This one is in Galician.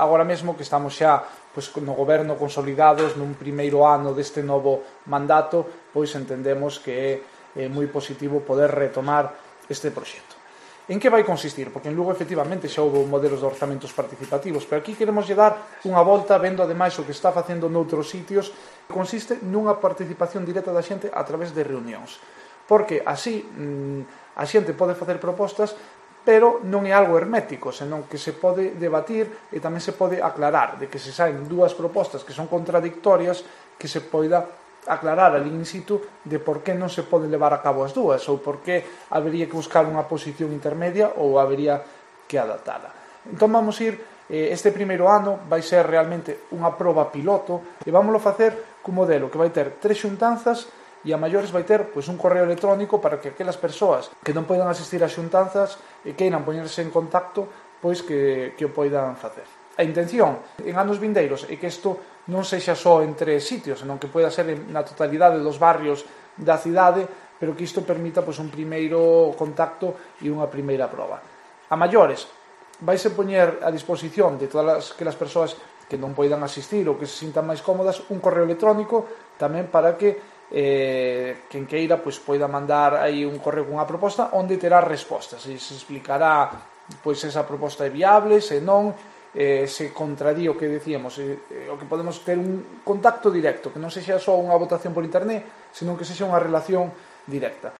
Agora mesmo que estamos xa no goberno consolidados nun primeiro ano deste novo mandato, pois entendemos que é moi positivo poder retomar este proxecto. En que vai consistir? Porque en Lugo efectivamente xa houve modelos de orzamentos participativos, pero aquí queremos dar unha volta vendo ademais o que está facendo noutros sitios. Consiste nunha participación directa da xente a través de reunións, porque así a xente pode facer propostas, pero non é algo hermético, senón que se pode debatir e tamén se pode aclarar, de que se saen dúas propostas que son contradictorias, que se poida aclarar ali in situ de por que non se pode levar a cabo as dúas, ou por que habería que buscar unha posición intermedia ou habería que adaptala. Entón vamos ir, este primeiro ano vai ser realmente unha proba piloto e vámoslo facer cun modelo que vai ter 3 xuntanzas e a maiores vai ter un correo electrónico para que aquelas persoas que non poidan asistir ás xuntanzas e queiran poñerse en contacto, pois que o poidan facer. A intención en anos vindeiros é que isto non sexa só en 3 sitios, senón que poida ser na totalidade dos barrios da cidade, pero que isto permita un primeiro contacto e unha primeira proba. A maiores, vaise poñer a disposición de todas aquelas persoas que non poidan asistir ou que se sintan máis cómodas un correo electrónico tamén para que quen queira poida mandar aí un correo cunha proposta onde terá respostas e se explicará esa proposta é viable, se non, se contradí o que decíamos, o que podemos ter un contacto directo, que non sexa só unha votación por internet, senón que sexa unha relación directa.